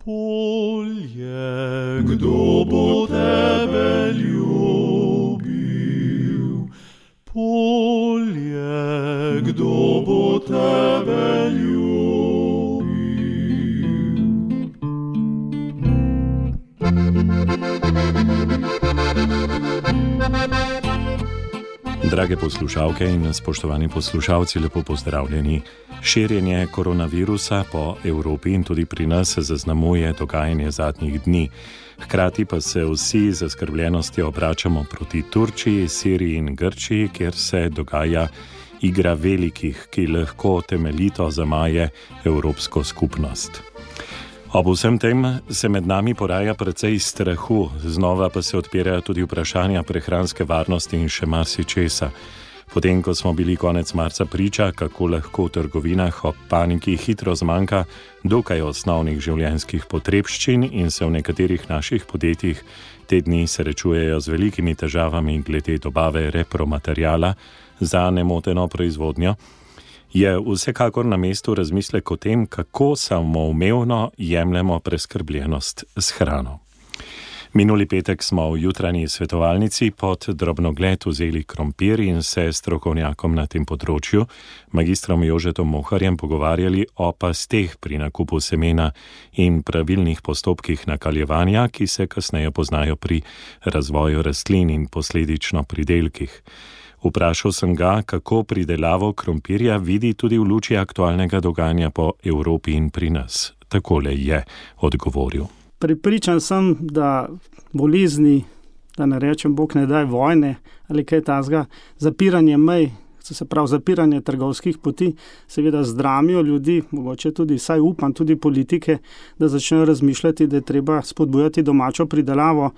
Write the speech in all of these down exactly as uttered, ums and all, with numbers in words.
Polje, kdo bo tebe ljubil? Polje, kdo bo tebe ljubil? Drage poslušalke in spoštovani poslušalci, lepo pozdravljeni. Širjenje koronavirusa po Evropi in tudi pri nas zaznamuje dogajanje zadnjih dni. Hkrati pa se vsi z zaskrbljenostjo obračamo proti Turčiji, Siriji in Grčiji, kjer se dogaja igra velikih, ki lahko temeljito zamaje evropsko skupnost. Ob vsem tem se med nami poraja precej strahu, znova pa se odpirajo tudi vprašanja prehranske varnosti in še marsičesa. Potem, ko smo bili konec marca priča, kako lahko v trgovinah ob paniki hitro zmanjka dokaj osnovnih življenjskih potrebščin in se v nekaterih naših podjetjih te dni srečujejo z velikimi težavami glede dobave repromateriala za nemoteno proizvodnjo, je vsekakor na mestu razmislek o tem, kako samoumevno jemljemo preskrbljenost s hrano. Minuli petek smo v jutranji svetovalnici pod drobnogled vzeli krompir in se s strokovnjakom na tem področju, magistrom Jožetom Moharjem, pogovarjali o pasteh pri nakupu semena in pravilnih postopkih nakaljevanja, ki se kasneje poznajo pri razvoju rastlin in posledično pridelkih. Vprašal sem ga, kako pridelavo krompirja vidi tudi v luči aktualnega dogajanja po Evropi in pri nas. Takole je odgovoril. Prepričan sem, da bolezni, da ne rečem Bog ne daj vojne ali kaj takega, zapiranje mej, se pravi zapiranje trgovskih poti, seveda zdramijo ljudi, mogoče tudi, saj upam, tudi politike, da začnejo razmišljati, da je treba spodbujati domačo pridelavo.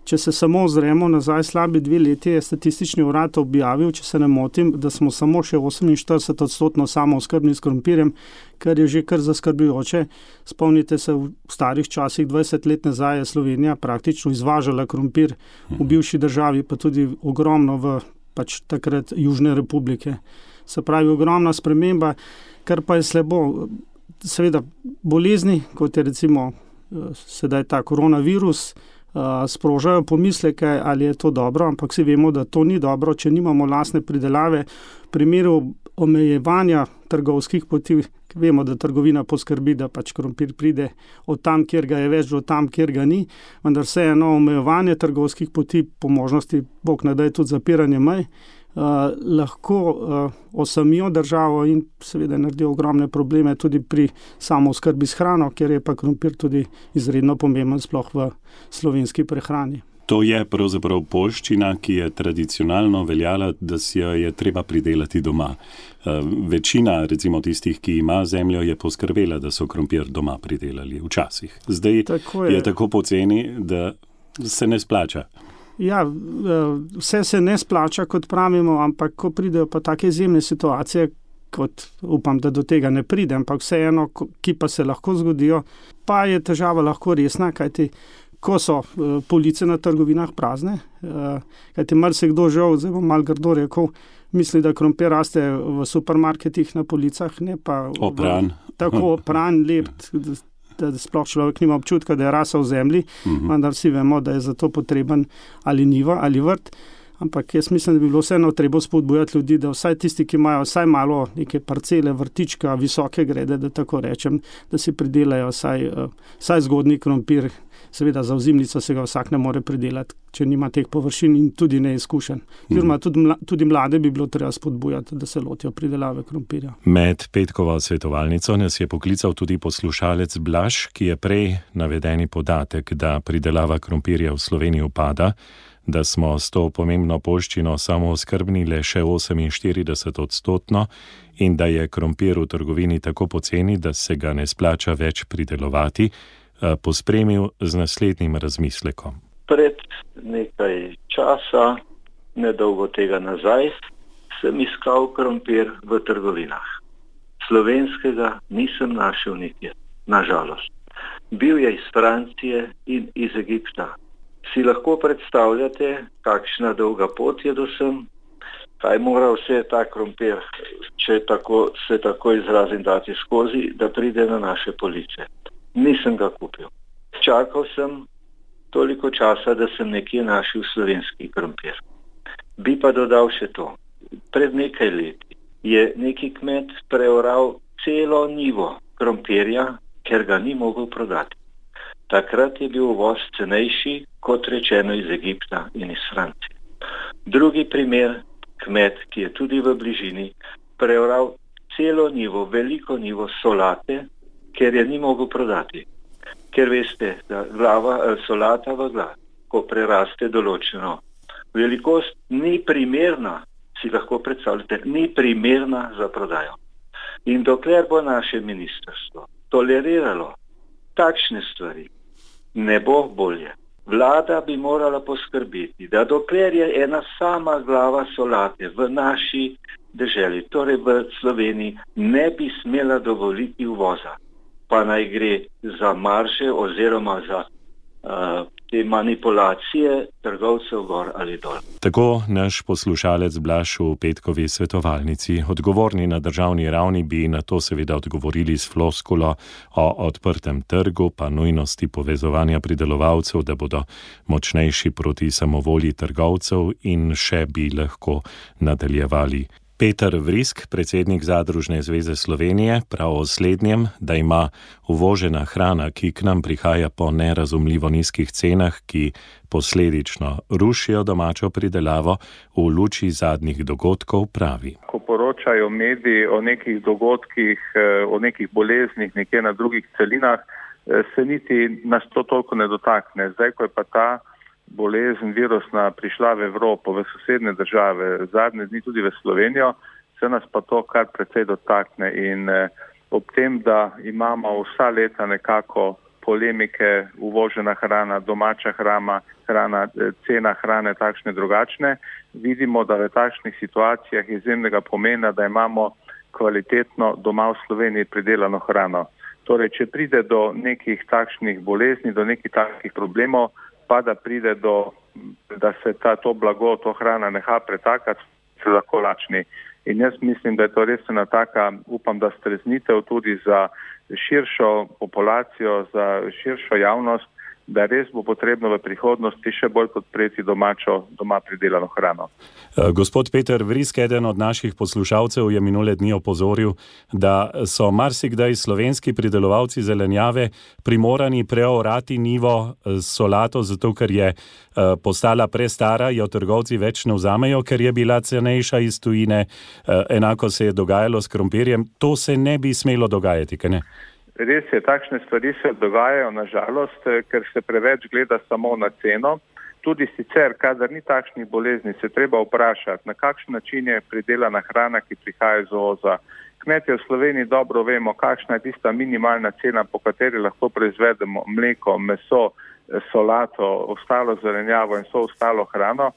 Če se samo ozremo nazaj slabi dve leti, je statistični urad objavil, če se ne motim, da smo samo še oseminštirideset odstotno samooskrbni s krompirjem, kar je že kar zaskrbljujoče. Spomnite se, v starih časih, dvajset let nazaj, je Slovenija praktično izvažala krompir v bivši državi, pa tudi ogromno v pač takrat Južne republike. Se pravi, ogromna sprememba, kar pa je slabo. Seveda bolezni, kot je recimo sedaj ta koronavirus, sprožajo pomisleke, ali je to dobro, ampak vsi vemo, da to ni dobro, če nimamo lastne pridelave. V primeru omejevanja trgovskih poti, vemo, da trgovina poskrbi, da pač krompir pride od tam, kjer ga je več, do tam, kjer ga ni, vendar vseeno omejevanje trgovskih poti, po možnosti, Bog ne daj, tudi zapiranje mej, Uh, lahko uh, osamijo državo in seveda naredijo ogromne probleme tudi pri samooskrbi s hrano, kjer je pa krompir tudi izredno pomemben sploh v slovenski prehrani. To je pravzaprav poljščina, ki je tradicionalno veljala, da si jo je treba pridelati doma. Uh, večina, recimo tistih, ki ima zemljo, je poskrbela, da so krompir doma pridelali včasih. Zdaj tako je. je tako poceni, da se ne splača. Ja, vse se ne splača, kot pravimo, ampak ko pridejo pa take izjemne situacije, kot upam, da do tega ne pride, ampak vseeno, ki pa se lahko zgodijo, pa je težava lahko resna, kajti ko so police na trgovinah prazne, kajti marsikdo žal, zdaj bom malo grdo rekel, misli, da krompir raste v supermarketih na policah, ne pa opran. V, tako opran, lep, da sploh človek nima občutka, da je rasel v zemlji, uh-huh. vendar vsi vemo, da je za to potreben ali njiva ali vrt. Ampak jaz mislim, da bi bilo vseeno treba spodbujati ljudi, da vsaj tisti, ki imajo vsaj malo neke parcele, vrtička, visoke grede, da tako rečem, da si pridelajo vsaj, vsaj zgodnji krompir. Seveda za ozimnico se ga vsak ne more pridelati, če nima teh površin in tudi ne izkušen. Oziroma tudi, mla, tudi mlade bi bilo treba spodbujati, da se lotijo pridelave krompirja. Med petkovo svetovalnico nas je poklical tudi poslušalec Blaž, ki je prej navedeni podatek, da pridelava krompirja v Sloveniji upada, da smo s to pomembno poljščino samooskrbni le še oseminštirideset odstotno in da je krompir v trgovini tako poceni, da se ga ne splača več pridelovati, pospremil z naslednjim razmislekom. Pred nekaj časa, nedolgo tega nazaj, sem iskal krompir v trgovinah. Slovenskega nisem našel nikjer, nažalost. Bil je iz Francije in iz Egipta. Si lahko predstavljate, kakšna dolga pot je do sem, kaj mora vse ta krompir, če tako, se tako izrazim, dati skozi, da pride na naše police. nisem ga kupil. Čakal sem toliko časa, da sem nekje našel slovenski krompir. Bi pa dodal še to. Pred nekaj leti je neki kmet preoral celo njivo krompirja, ker ga ni mogel prodati. Takrat je bil uvoz cenejši, kot rečeno, iz Egipta in iz Francije. Drugi primer, kmet, ki je tudi v bližini, preoral celo njivo, veliko njivo solate, ker je ni mogel prodati. Ker veste, da glava, solata v glavi, ko preraste določeno velikost, ni primerna, si lahko predstavljate, ni primerna za prodajo. In dokler bo naše ministrstvo toleriralo takšne stvari, ne bo bolje. Vlada bi morala poskrbeti, da dokler je ena sama glava solate v naši deželi, torej v Sloveniji, ne bi smela dovoliti uvoza. Pa naj gre za marže oziroma za uh, te manipulacije trgovcev gor ali dol. Tako naš poslušalec Blaž v petkovi svetovalnici. Odgovorni na državni ravni bi na to seveda odgovorili s floskulo o odprtem trgu, pa nujnosti povezovanja pridelovalcev, da bodo močnejši proti samovolji trgovcev in še bi lahko nadaljevali. Peter Vrisk, predsednik Zadružne zveze Slovenije, prav o slednjem, da ima uvožena hrana, ki k nam prihaja po nerazumljivo nizkih cenah, ki posledično rušijo domačo pridelavo, v luči zadnjih dogodkov pravi. Ko poročajo mediji o nekih dogodkih, o nekih boleznih nekje na drugih celinah, se niti nas to toliko ne dotakne. Zdaj, ko je pa ta bolezen virusna prišla v Evropo, v sosednje države, zadnje dni tudi v Slovenijo, se nas pa to kar precej dotakne in eh, ob tem, da imamo vsa leta nekako polemike, uvožena hrana, domača hrana, hrana, cena hrane takšne drugačne, vidimo, da v takšnih situacijah je izjemnega pomena, da imamo kvalitetno doma v Sloveniji pridelano hrano. Torej, če pride do nekih takšnih bolezni, do nekih takšnih problemov, pa da pride do, da se ta, to blago, to hrana neha pretakati, se lahko lačni. In jaz mislim, da je to res ena taka, upam, da streznitev tudi za širšo populacijo, za širšo javnost, da res bo potrebno v prihodnosti še bolj podpreti domačo, doma pridelano hrano. Gospod Peter Vrisk, eden od naših poslušalcev, je minule dni opozoril, da so marsikdaj slovenski pridelovalci zelenjave primorani preorati njivo solato, zato ker je postala prestara, jo trgovci več ne vzamejo, ker je bila cenejša iz tujine. Enako se je dogajalo s krompirjem. To se ne bi smelo dogajati, kaj ne? Res je, takšne stvari se dogajajo, nažalost, ker se preveč gleda samo na ceno. Tudi sicer, kadar ni takšnih bolezni, se treba vprašati, na kakšen način je pridelana hrana, ki prihaja iz uvoza. Kmetje v Sloveniji dobro vemo, kakšna je tista minimalna cena, po kateri lahko proizvedemo mleko, meso, solato, ostalo zelenjavo in vso ostalo hrano.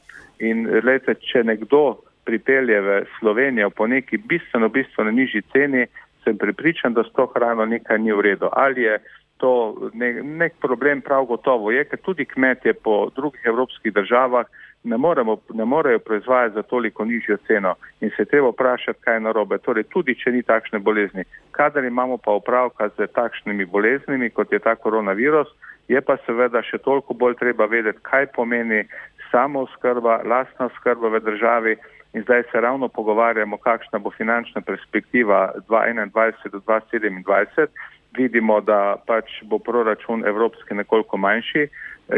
In lejte, če nekdo pripelje v Slovenijo po neki bistveno, bistveno nižji ceni, sem prepričan, da s to hrano nekaj ni v redu. Ali je to nek, nek problem, prav gotovo je, ker tudi kmetje po drugih evropskih državah ne, moremo, ne morejo proizvajati za toliko nižjo ceno in se treba vprašati, kaj je narobe. Torej, tudi če ni takšne bolezni. Kadar imamo pa opravka z takšnimi boleznimi, kot je ta koronavirus, je pa seveda še toliko bolj treba vedeti, kaj pomeni samooskrba, lastna oskrba v državi. In zdaj se ravno pogovarjamo, kakšna bo finančna perspektiva dva tisoč enaindvajset do dva tisoč sedemindvajset. Vidimo, da pač bo proračun evropski nekoliko manjši.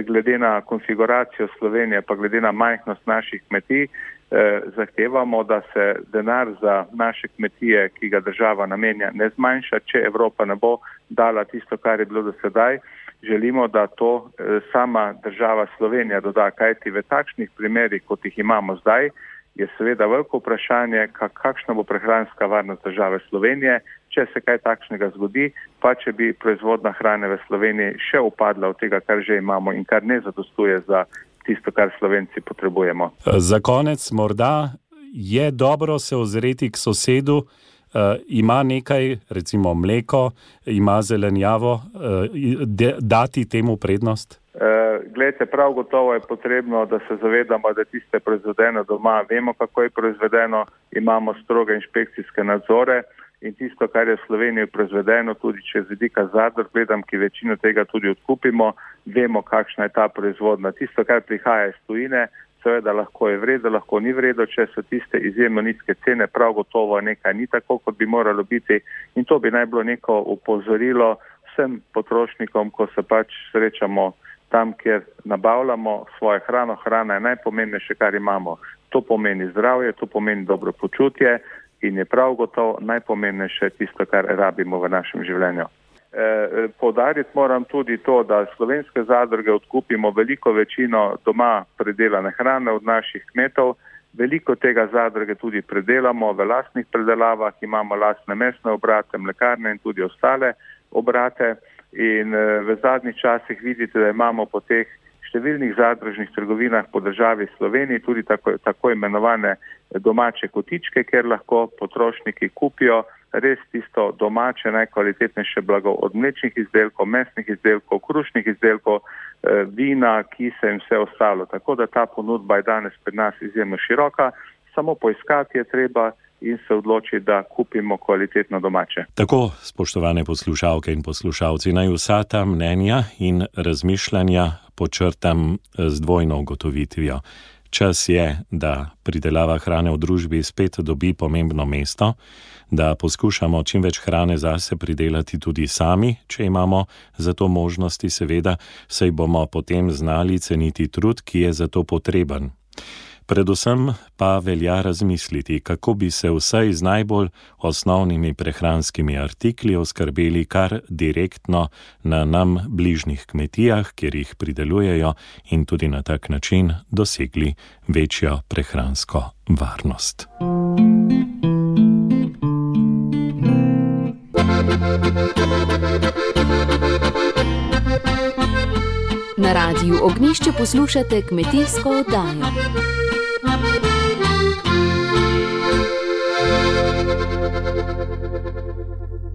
Glede na konfiguracijo Slovenije, pa glede na majhnost naših kmetij, eh, zahtevamo, da se denar za naše kmetije, ki ga država namenja, ne zmanjša, če Evropa ne bo dala tisto, kar je bilo do sedaj. Želimo, da to eh, sama država Slovenija doda, kajti v takšnih primerih, kot jih imamo zdaj, je seveda veliko vprašanje, kakšna bo prehranska varnost države Slovenije, če se kaj takšnega zgodi, pa če bi proizvodna hrane v Sloveniji še upadla od tega, kar že imamo in kar ne zadostuje za tisto, kar Slovenci potrebujemo. Za konec morda je dobro se ozreti k sosedu, Uh, ima nekaj, recimo mleko, ima zelenjavo, uh, de, dati temu prednost? Uh, Glejte, prav gotovo je potrebno, da se zavedamo, da tiste proizvedeno doma, vemo, kako je proizvedeno, imamo stroge inšpekcijske nadzore in tisto, kar je v Sloveniji proizvedeno, tudi če z vidika zadrug gledam, ki večino tega tudi odkupimo, vemo, kakšna je ta proizvodna. Tisto, kar prihaja iz tujine, seveda lahko je vredo, lahko ni vredo, če so tiste izjemno nizke cene, prav gotovo nekaj ni tako, kot bi moralo biti, in to bi naj bilo neko upozorilo vsem potrošnikom, ko se pač srečamo tam, kjer nabavljamo svojo hrano. Hrana je najpomembnejše, kar imamo. To pomeni zdravje, to pomeni dobro počutje in je prav gotovo najpomembnejše tisto, kar rabimo v našem življenju. E, poudariti moram tudi to, da slovenske zadruge odkupimo veliko večino doma predelane hrane od naših kmetov. Veliko tega zadruge tudi predelamo v lastnih predelavah, imamo lastne mesne obrate, mlekarne in tudi ostale obrate. In v zadnjih časih vidite, da imamo po teh številnih zadružnih trgovinah po državi Sloveniji tudi tako, tako imenovane domače kotičke, kjer lahko potrošniki kupijo res tisto domače, najkvalitetnejše blago od mlečnih izdelkov, mesnih izdelkov, krušnih izdelkov, vina, kise in vse ostalo. Tako da ta ponudba je danes pri nas izjemno široka, samo poiskati je treba in se odloči, da kupimo kvalitetno domače. Tako, spoštovane poslušalke in poslušalci, naj vsa ta mnenja in razmišljanja počrtam z dvojno ugotovitvijo. Čas je, da pridelava hrane v družbi spet dobi pomembno mesto, da poskušamo čim več hrane zase pridelati tudi sami, če imamo za to možnosti, seveda, saj bomo potem znali ceniti trud, ki je za to potreben. Predvsem pa velja razmisliti, kako bi se vsaj z najbolj osnovnimi prehranskimi artikli oskrbeli kar direktno na nam bližnjih kmetijah, kjer jih pridelujejo, in tudi na tak način dosegli večjo prehransko varnost. Na Radiu Ognjišče poslušate kmetijsko oddajo.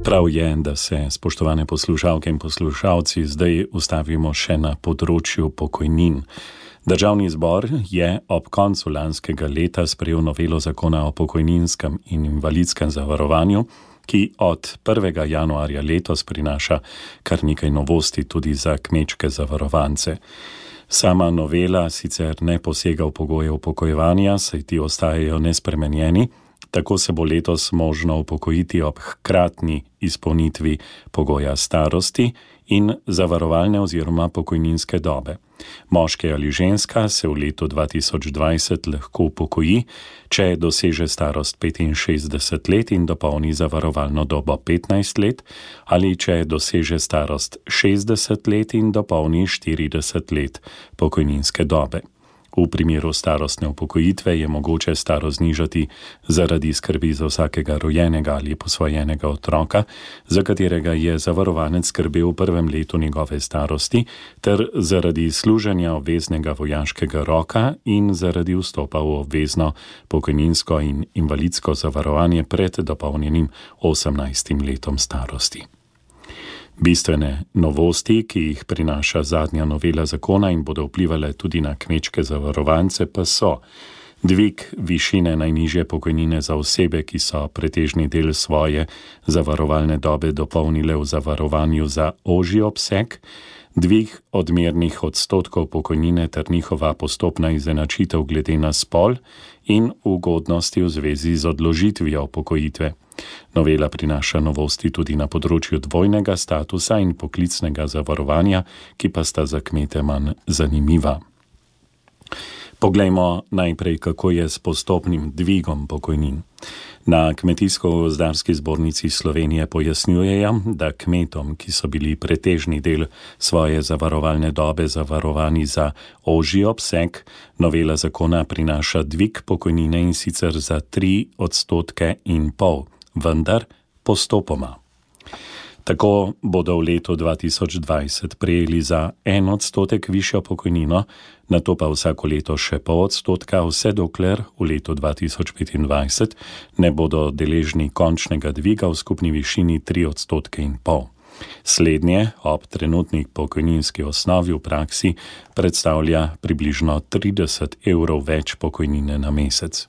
Prav je, da se, spoštovane poslušalke in poslušalci, zdaj ustavimo še na področju pokojnin. Državni zbor je ob koncu lanskega leta sprejel novelo zakona o pokojninskem in invalidskem zavarovanju, ki od prvega januarja letos prinaša kar nekaj novosti tudi za kmečke zavarovance. Sama novela sicer ne posega v pogoje upokojevanja, saj ti ostajajo nespremenjeni. Tako se bo letos možno upokojiti ob hkratni izpolnitvi pogoja starosti in zavarovalne oziroma pokojninske dobe. Moški ali ženska se v letu dva tisoč dvajset lahko upokoji, če doseže starost petinšestdeset let in dopolni zavarovalno dobo petnajst let, ali če doseže starost šestdeset let in dopolni štirideset let pokojninske dobe. V primeru starostne upokojitve je mogoče starost znižati zaradi skrbi za vsakega rojenega ali posvojenega otroka, za katerega je zavarovanec skrbel v prvem letu njegove starosti, ter zaradi služenja obveznega vojaškega roka in zaradi vstopa v obvezno pokojninsko in invalidsko zavarovanje pred dopolnjenim osemnajstim letom starosti. Bistvene novosti, ki jih prinaša zadnja novela zakona in bodo vplivale tudi na kmečke zavarovance, pa so dvig višine najnižje pokojnine za osebe, ki so pretežni del svoje zavarovalne dobe dopolnile v zavarovanju za ožji obseg, dvig odmernih odstotkov pokojnine ter njihova postopna izenačitev glede na spol in ugodnosti v zvezi z odložitvijo upokojitve. Novela prinaša novosti tudi na področju dvojnega statusa in poklicnega zavarovanja, ki pa sta za kmete manj zanimiva. Poglejmo najprej, kako je s postopnim dvigom pokojnin. Na Kmetijsko-gozdarski zbornici Slovenije pojasnjujejo, da kmetom, ki so bili pretežni del svoje zavarovalne dobe zavarovani za ožji obseg, novela zakona prinaša dvig pokojnine in sicer za tri odstotke in pol, vendar postopoma. Tako bodo v letu dva tisoč dvajset prejeli za en odstotek višjo pokojnino, nato pa vsako leto še pol odstotka, vse dokler v letu dva tisoč petindvajset ne bodo deležni končnega dviga v skupni višini tri odstotke in pol. Slednje ob trenutni pokojninski osnovi v praksi predstavlja približno trideset evrov več pokojnine na mesec.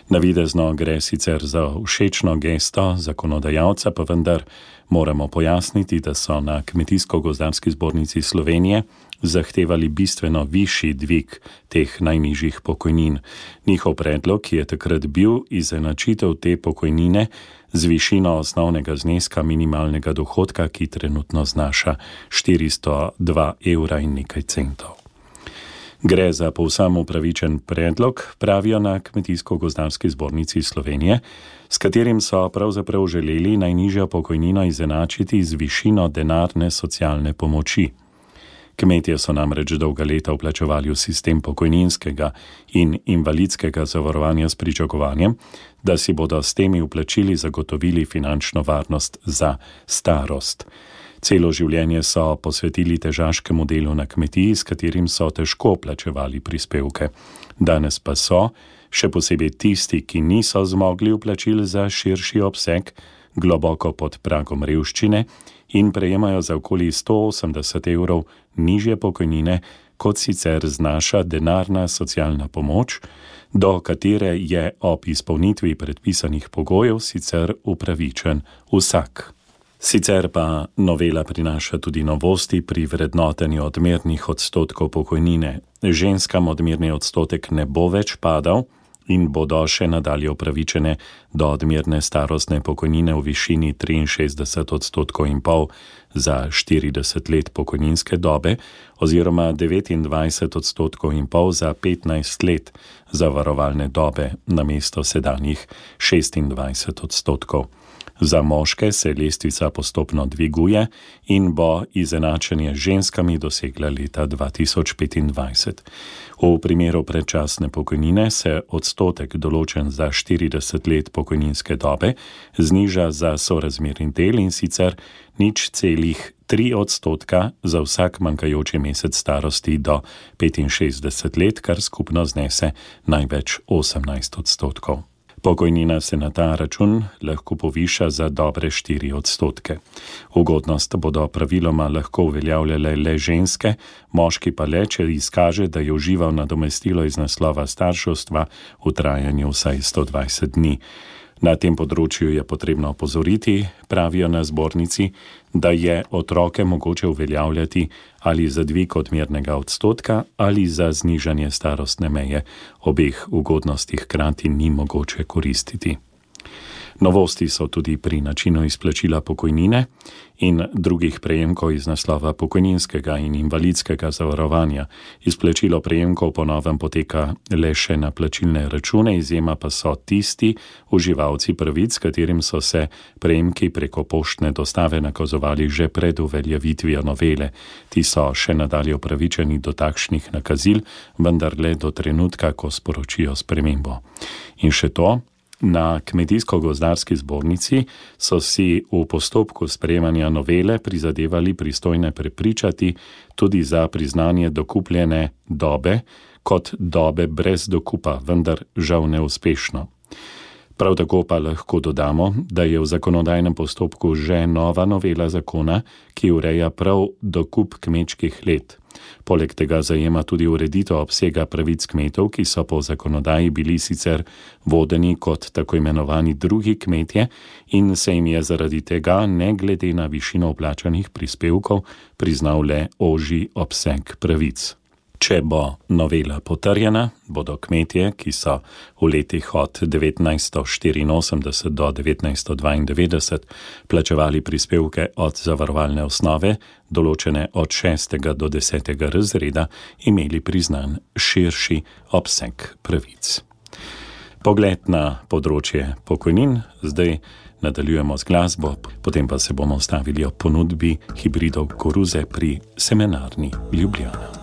Navidezno gre sicer za všečno gesto zakonodajalca, pa vendar moramo pojasniti, da so na Kmetijsko-gozdarski zbornici Slovenije zahtevali bistveno višji dvig teh najnižjih pokojnin. Njihov predlog je takrat bil izenačitev te pokojnine z višino osnovnega zneska minimalnega dohodka, ki trenutno znaša štiristo dva evra in nekaj centov. Gre za povsem upravičen predlog, pravijo na Kmetijsko-gozdarski zbornici Slovenije, s katerim so pravzaprav želeli najnižjo pokojnino izenačiti z višino denarne socialne pomoči. Kmetje so namreč dolga leta vplačevali v sistem pokojninskega in invalidskega zavarovanja s pričakovanjem, da si bodo s temi vplačili zagotovili finančno varnost za starost. Celo življenje so posvetili težaškemu delu na kmetiji, s katerim so težko plačevali prispevke. Danes pa so, še posebej tisti, ki niso zmogli vplačil za širši obseg, globoko pod pragom revščine in prejemajo za okoli sto osemdeset evrov nižje pokojnine, kot sicer znaša denarna socialna pomoč, do katere je ob izpolnitvi predpisanih pogojev sicer upravičen vsak. Sicer pa novela prinaša tudi novosti pri vrednotenju odmernih odstotkov pokojnine. Ženskam odmerni odstotek ne bo več padal in bodo še nadalje upravičene do odmerne starostne pokojnine v višini triinšestdeset odstotkov in pol za štirideset let pokojninske dobe oziroma devetindvajset odstotkov in pol za petnajst let zavarovalne dobe namesto sedanjih šestindvajset odstotkov. Za moške se lestvica postopno dviguje in bo izenačenje z ženskami dosegla leta dva tisoč petindvajset. V primeru predčasne pokojnine se odstotek določen za štirideset let pokojninske dobe zniža za sorazmerni del in sicer nič celih tri odstotka za vsak manjkajoči mesec starosti do petinšestdeset let, kar skupno znese največ osemnajst odstotkov. Pokojnina se na ta račun lahko poviša za dobre štiri odstotke. Ugodnost bodo praviloma lahko uveljavljale le ženske, moški pa le, če izkaže, da je užival nadomestilo iz naslova starševstva v trajanju vsaj sto dvajset dni. Na tem področju je potrebno opozoriti, pravijo na zbornici, da je otroke mogoče uveljavljati ali za dvig odmernega odstotka ali za znižanje starostne meje. Obeh ugodnosti hkrati ni mogoče koristiti. Novosti so tudi pri načinu izplačila pokojnine in drugih prejemkov iz naslova pokojninskega in invalidskega zavarovanja. Izplačilo prejemkov po novem poteka le še na plačilne račune, izjema pa so tisti uživalci pravic, katerim so se prejemki preko poštne dostave nakazovali že pred uveljavitvijo novele. Ti so še nadalje upravičeni do takšnih nakazil, vendar le do trenutka, ko sporočijo spremembo. In še to, na Kmetijsko-gozdarski zbornici so si v postopku sprejemanja novele prizadevali pristojne prepričati tudi za priznanje dokupljene dobe kot dobe brez dokupa, vendar žal neuspešno. Prav tako pa lahko dodamo, da je v zakonodajnem postopku že nova novela zakona, ki ureja prav dokup kmečkih let. Poleg tega zajema tudi ureditev obsega pravic kmetov, ki so po zakonodaji bili sicer vodeni kot tako imenovani drugi kmetje in se jim je zaradi tega, ne glede na višino vplačanih prispevkov, priznal le ožji obseg pravic. Če bo novela potrjena, bodo kmetje, ki so v letih od devetnajststo štiriinosemdeset do devetnajststo dvaindevetdeset plačevali prispevke od zavarovalne osnove, določene od šestega do desetega razreda, imeli priznan širši obseg pravic. Pogled na področje pokojnin, zdaj nadaljujemo z glasbo, potem pa se bomo stavili ob ponudbi hibridov koruze pri Semenarni Ljubljana.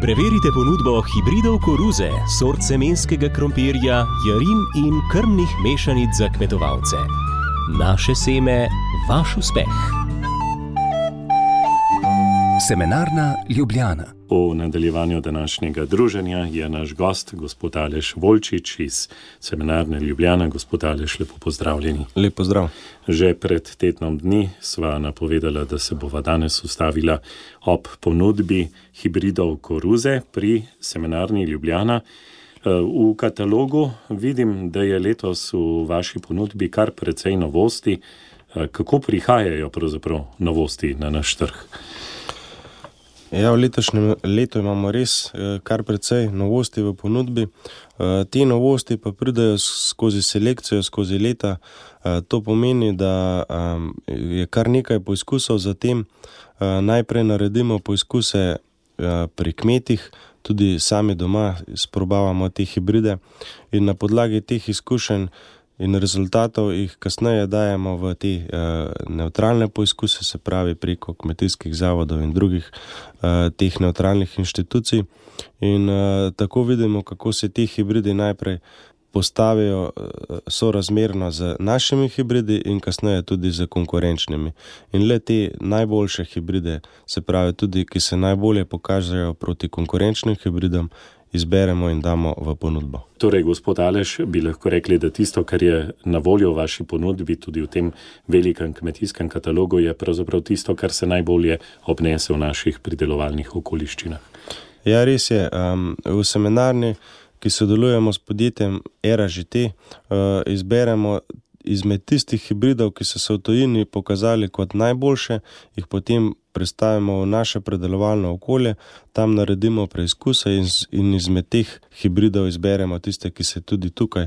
Preverite ponudbo hibridov koruze, sort semenskega krompirja, jarin in krmnih mešanic za kmetovalce. Naše seme, vaš uspeh. Semenarna Ljubljana. V nadaljevanju današnjega druženja je naš gost, gospod Aleš Volčič iz Semenarne Ljubljana. Gospod Aleš, lepo pozdravljeni. Lep pozdrav. Že pred tednom dni sva napovedala, da se bova danes ustavila ob ponudbi hibridov koruze pri Semenarni Ljubljana. V katalogu vidim, da je letos v vaši ponudbi kar precej novosti. Kako prihajajo pravzaprav novosti na naš trg? Ja, v letošnjem letu imamo res kar precej novosti v ponudbi. Te novosti pa pridajo skozi selekcijo, skozi leta. To pomeni, da je kar nekaj poizkusov, zatem najprej naredimo poizkuse pri kmetih, tudi sami doma sprobavamo te hibride in na podlagi teh izkušenj in rezultatov jih kasneje dajemo v te uh, nevtralne poizkuse, se pravi preko kmetijskih zavodov in drugih uh, teh nevtralnih inštitucij. In uh, tako vidimo, kako se ti hibridi najprej postavijo uh, sorazmerno z našimi hibridi in kasneje tudi z konkurenčnimi. In le te najboljše hibride, se pravi tudi, ki se najbolje pokažejo proti konkurenčnim hibridom, izberemo in damo v ponudbo. Torej, gospod Aleš, bi lahko rekli, da tisto, kar je na voljo v vaši ponudbi, tudi v tem velikem kmetijskem katalogu, je pravzaprav tisto, kar se najbolje obnese v naših pridelovalnih okoliščinah. Ja, res je. Um, v seminarni, ki sodelujemo s podjetjem Era Ž T, uh, izberemo izmed tistih hibridov, ki so se v tujini pokazali kot najboljše, jih potem predstavimo v naše predelovalno okolje, tam naredimo preizkuse in, in izmed teh hibridov izberemo tiste, ki se tudi tukaj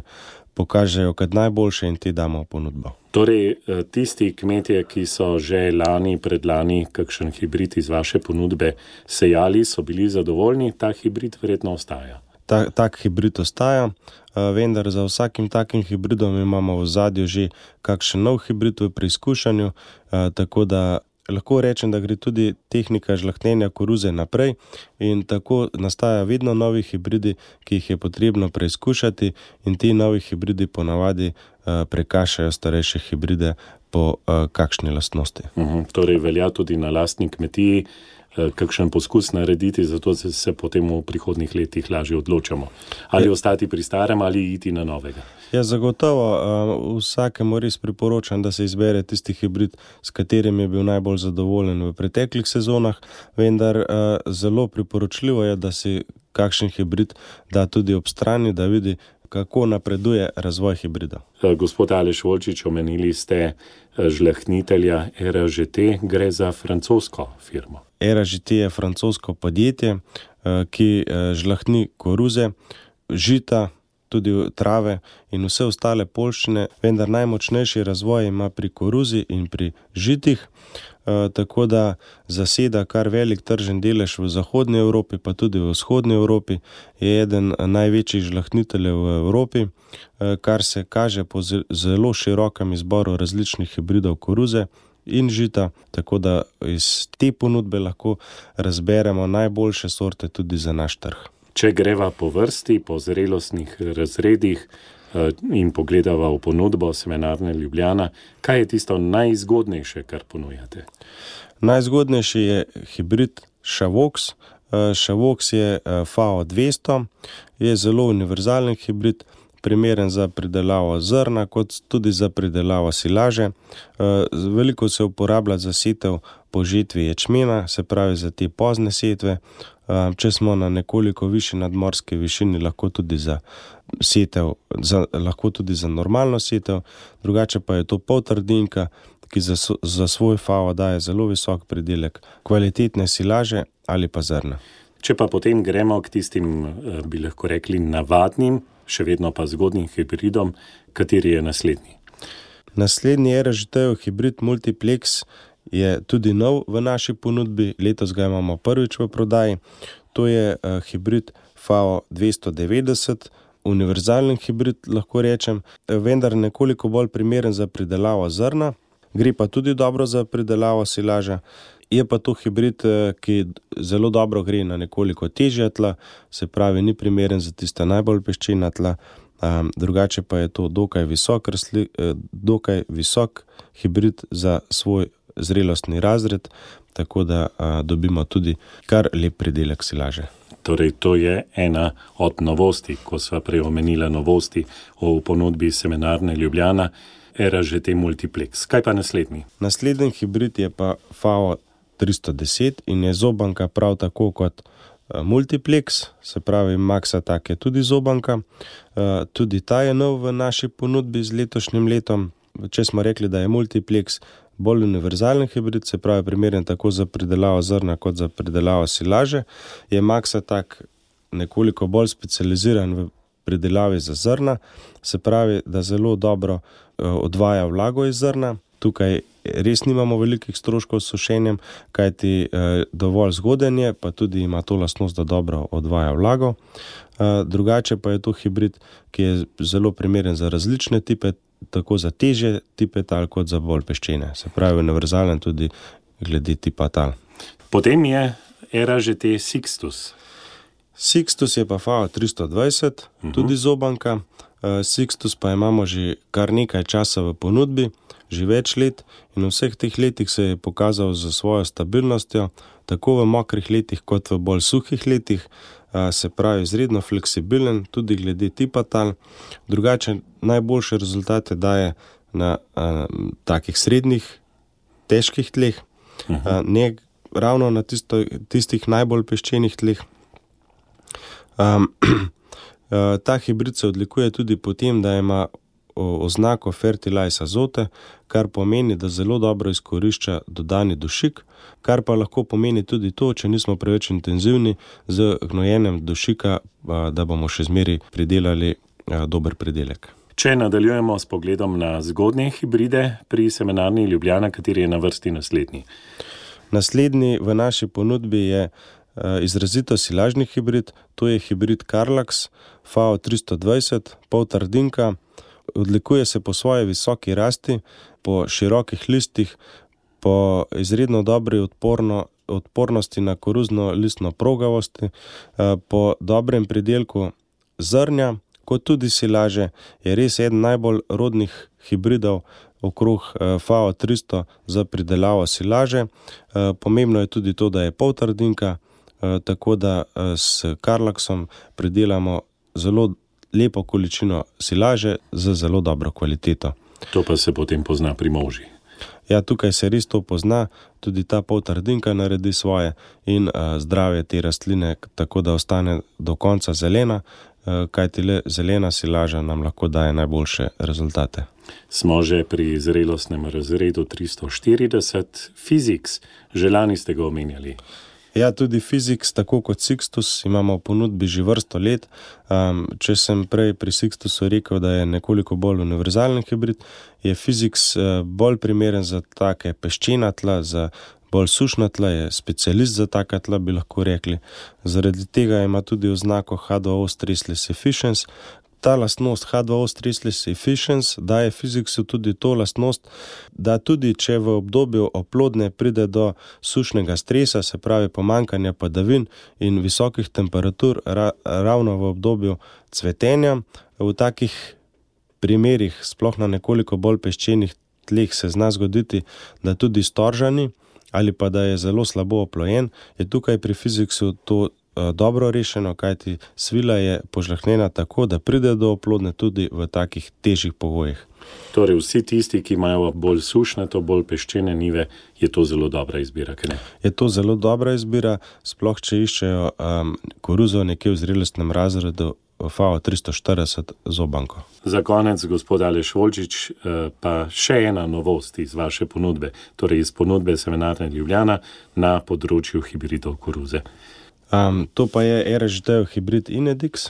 pokažejo kot najboljše in te damo v ponudbo. Torej, tisti kmetje, ki so že lani, predlani kakšen hibrid iz vaše ponudbe sejali, so bili zadovoljni, ta hibrid verjetno ostaja. Ta, tak hibrid ostaja, vendar za vsakim takim hibridom imamo v zadju že kakšen nov hibrid v preizkušanju, tako da lahko rečem, da gre tudi tehnika žlahtnjenja koruze naprej in tako nastaja vedno novi hibridi, ki jih je potrebno preizkušati in ti novi hibridi ponavadi prekašajo starejše hibride po kakšni lastnosti. Uhum, torej velja tudi na lastni kmetiji kakšen poskus narediti, zato se potem v prihodnih letih lažje odločamo. Ali je, ostati pri starem ali iti na novega. Ja, zagotovo uh, vsakemu res priporočam, da se izbere tisti hibrid, s katerim je bil najbolj zadovoljen v preteklih sezonah, vendar uh, zelo priporočljivo je, da si kakšen hibrid da tudi ob strani, da vidi, kako napreduje razvoj hibrida. Gospod Aleš Volčič, omenili ste žlahtnitelja Era Ž T, gre za francosko firmo. Era Ž T je francosko podjetje, ki žlahtni koruze, žita, tudi trave in vse ostale poljščine, vendar najmočnejši razvoj ima pri koruzi in pri žitih, tako da zaseda kar velik tržen delež v zahodni Evropi, pa tudi v vzhodni Evropi, je eden največjih žlahtniteljev v Evropi, kar se kaže po zelo širokem izboru različnih hibridov koruze in žita, tako da iz te ponudbe lahko razberemo najboljše sorte tudi za naš trg. Če greva po vrsti, po zrelostnih razredih in pogledava v ponudbo Semenarne Ljubljana, kaj je tisto najzgodnejše, kar ponujate? Najzgodnejši je hibrid Chavox. Chavox je F A O dvesto, je zelo univerzalen hibrid, primeren za pridelavo zrna, kot tudi za pridelavo silaže. Veliko se uporablja za setev po žetvi ječmena, se pravi za te pozne setve. Če smo na nekoliko višji nadmorski višini, lahko tudi za setev, za, lahko tudi za normalno setev, drugače pa je to poltrdinka, ki za, za svoj F A O daje zelo visok pridelek kvalitetne silaže ali pa zrna. Če pa potem gremo k tistim, bi lahko rekli, navadnim, še vedno pa zgodnim hibridom, kateri je naslednji? Naslednji Era Ž T-jev hibrid Multiplex je tudi nov v naši ponudbi, letos ga imamo prvič v prodaji. To je uh, hibrid F A O dvesto devetdeset, univerzalen hibrid, lahko rečem, vendar nekoliko bolj primeren za pridelavo zrna, gre pa tudi dobro za pridelavo silaža. Je pa to hibrid, ki zelo dobro gre na nekoliko težja tla, se pravi, ni primeren za tista najbolj peščena tla, um, drugače pa je to dokaj visok, rasli, dokaj visok hibrid za svoj zrelostni razred, tako da a, dobimo tudi kar lep pridelek silaže. Torej, to je ena od novosti, ko sva preomenila novosti v ponudbi Semenarne Ljubljana, Era Ž T Multiplex. Kaj pa naslednji? Naslednji hibrid je pa F A O tristo deset in je zobanka prav tako kot Multiplex, se pravi Maxatak je tudi zobanka. Tudi ta je nov v naši ponudbi z letošnjim letom. Če smo rekli, da je Multiplex bolj univerzalen hibrid, se pravi primeren tako za pridelavo zrna kot za pridelavo silaže, je Maxatak nekoliko bolj specializiran v pridelavi za zrna, se pravi, da zelo dobro odvaja vlago iz zrna. Tukaj res nimamo velikih stroškov s sušenjem, kajti dovolj zgoden je, pa tudi ima to lastnost, da dobro odvaja vlago. Drugače pa je to hibrid, ki je zelo primeren za različne tipe, tako za težje tipe tal, kot za bolj peščene. Se pravi, univerzalen tudi glede tipa tal. Potem je era že te Sixtus. Sixtus je pa F A O tristo dvajset, uh-huh. tudi zobanka. Sixtus pa imamo že kar nekaj časa v ponudbi, že več let, in v vseh teh letih se je pokazal za svojo stabilnostjo, tako v mokrih letih kot v bolj suhih letih, se pravi izredno fleksibilen, tudi glede tipa tal. Drugače najboljše rezultate daje na a, takih srednjih, težkih tleh, uh-huh. a, ne ravno na tisto, tistih najbolj peščenih tleh. Um, ta hibrid se odlikuje tudi po tem, da ima oznako Fertilize Azote, kar pomeni, da zelo dobro izkorišča dodani dušik, kar pa lahko pomeni tudi to, če nismo preveč intenzivni z gnojenjem dušika, da bomo še zmeri pridelali dober pridelek. Če nadaljujemo s pogledom na zgodnje hibride pri Semenarni Ljubljana, kateri je na vrsti naslednji? Naslednji v naši ponudbi je izrazito silažni hibrid, to je hibrid Karlax F A O tristo dvajset, pol trdinka. Odlikuje se po svoji visoki rasti, po širokih listih, po izredno dobri odporno, odpornosti na koruzno listno progavosti, po dobrem pridelku zrnja, kot tudi silaže, je res eden najbolj rodnih hibridov okrog F A O tristo za pridelavo silaže. Pomembno je tudi to, da je pol trdinka, tako da s Karlaxom pridelamo zelo lepo količino silaže z zelo dobro kvaliteto. To pa se potem pozna pri molži. Ja, tukaj se res to pozna, tudi ta pol trdinka naredi svoje in uh, zdravje te rastline, tako da ostane do konca zelena, uh, kajti le zelena silaža nam lahko daje najboljše rezultate. Smo že pri zrelostnem razredu tristo štirideset. Physics, že lani ste ga omenjali. Ja, tudi Physics, tako kot Sixtus, imamo v ponudbi že vrsto let. Um, če sem prej pri Sixtusu rekel, da je nekoliko bolj univerzalen hibrid, je Physics uh, bolj primeren za take peščena tla, za bolj sušna tla, je specialist za taka tla, bi lahko rekli. Zaradi tega ima tudi oznako H dva O Stressless Efficiency. Ta lastnost H dva O Stressless Efficiency daje Physicsu tudi to lastnost, da tudi če v obdobju oplodne pride do sušnega stresa, se pravi pomankanja padavin in visokih temperatur ra, ravno v obdobju cvetenja, v takih primerih, sploh na nekoliko bolj peščenih tleh, se zna zgoditi, da tudi storžani ali pa da je zelo slabo oplojen, je tukaj pri Physicsu to dobro rešeno, kajti svila je požlahnjena tako, da pride do oplodne tudi v takih težjih pogojih. Torej vsi tisti, ki imajo bolj sušne, to bolj peščene nive, je to zelo dobra izbira, kaj ne? Je to zelo dobra izbira, sploh če iščejo um, koruzo nekje v zrelostnem razredu F A O tristo štirideset zobanko. Za konec, gospod Aleš Volčič, pa še ena novost iz vaše ponudbe, torej iz ponudbe Semenarne Ljubljana na področju hibridov koruze. Um, to pa je R Ž D hibrid Inedix,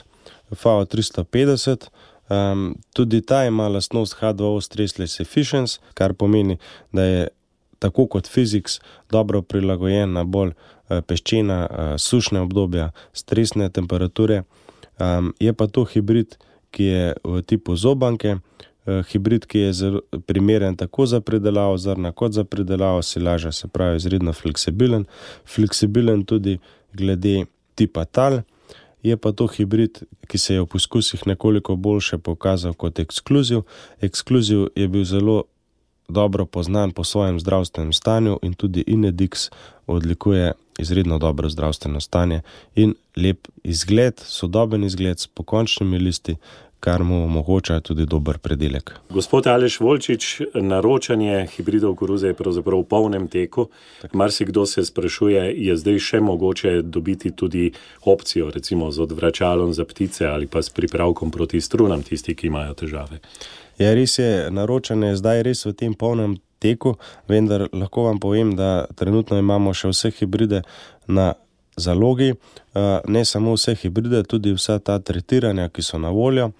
F A O tristo petdeset. Um, tudi ta ima lastnost H dva O Stressless Efficiency, kar pomeni, da je tako kot Physics dobro prilagojen na bolj uh, peščena, uh, sušne obdobja, stresne temperature. Um, je pa to hibrid, ki je v tipu zobanke, uh, hibrid, ki je zelo primeren tako za pridelavo zrna kot za pridelavo silaže, se pravi izredno fleksibilen, fleksibilen tudi glede tipa tal. Je pa to hibrid, ki se je v poskusih nekoliko boljše pokazal kot ekskluziv. Ekskluziv je bil zelo dobro poznan po svojem zdravstvenem stanju in tudi Inedix odlikuje izredno dobro zdravstveno stanje in lep izgled, sodoben izgled s pokončnimi listi, kar mu omogoča tudi dober predelek. Gospod Aleš Volčič, naročanje hibridov koruze je pravzaprav v polnem teku. Marsikdo se sprašuje, je zdaj še mogoče dobiti tudi opcijo, recimo z odvračalom za ptice ali pa s pripravkom proti strunam, tisti, ki imajo težave. Ja, res je, naročanje je zdaj res v tem polnem teku, vendar lahko vam povem, da trenutno imamo še vse hibride na zalogi, ne samo vse hibride, tudi vsa ta tretiranja, ki so na voljo.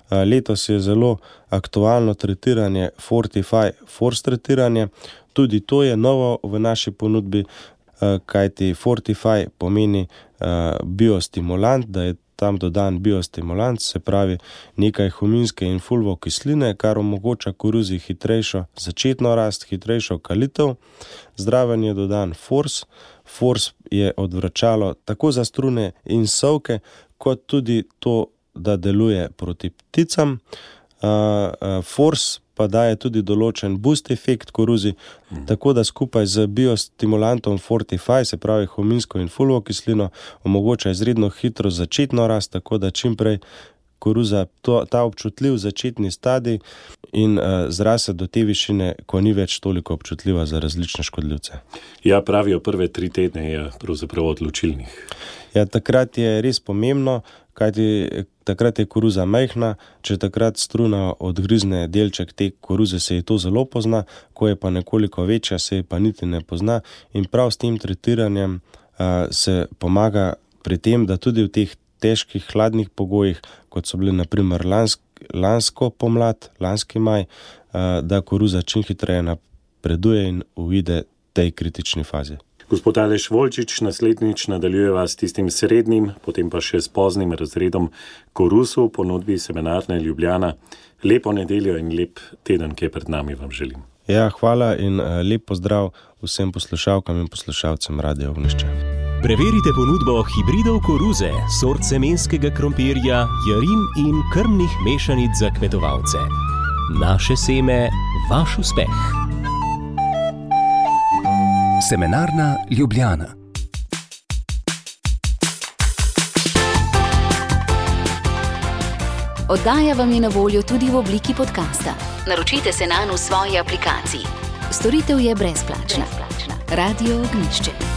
Letos je zelo aktualno tretiranje Fortify Force tretiranje, tudi to je novo v naši ponudbi, kajti Fortify pomeni biostimulant, da je tam dodan biostimulant, se pravi nekaj huminske in fulvokisline, kar omogoča koruzi hitrejšo začetno rast, hitrejšo kalitev. Zraven je dodan Force. Force je odvračalo tako za strune in sovke, kot tudi to, da deluje proti pticam. Force pa daje tudi določen boost efekt koruzi, mm. tako da skupaj z biostimulantom Fortify, se pravi huminsko in fulvokislino, omogoča izredno hitro začetno rast, tako da čimprej koruza to, ta občutljiv začetni stadij in uh, zrase do te višine, ko ni več toliko občutljiva za različne škodljivce. Ja, pravijo, prve tri tedne je pravzaprav odločilnih. Ja, takrat je res pomembno, kajti takrat je koruza majhna, če takrat struna odgrizne delček te koruze, se ji to zelo pozna, ko je pa nekoliko večja, se ji pa niti ne pozna in prav s tem tretiranjem uh, se pomaga pri tem, da tudi v teh težkih hladnih pogojih, kot so bili na primer lansk, lansko pomlad, lanski maj, uh, da koruza čim hitreje napreduje in uide tej kritični fazi. Gospod Aleš Volčič, naslednjič nadaljujeva s tistim srednjim, potem pa še s poznim razredom korusu v ponudbi Semenarne Ljubljana. Lepo nedeljo in lep teden, ki je pred nami, vam želim. Ja, hvala in lep pozdrav vsem poslušalkam in poslušalcem Radia Ognjišče. Preverite ponudbo hibridov koruze, sort semenskega krompirja, jarin in krmnih mešanic za kmetovalce. Naše seme, vaš uspeh. Semenarna Ljubljana. Oddaja vam je na voljo tudi v obliki podcasta. Naročite se nanj v svoji aplikaciji. Storitev je brezplačna. Radio Ognjišče.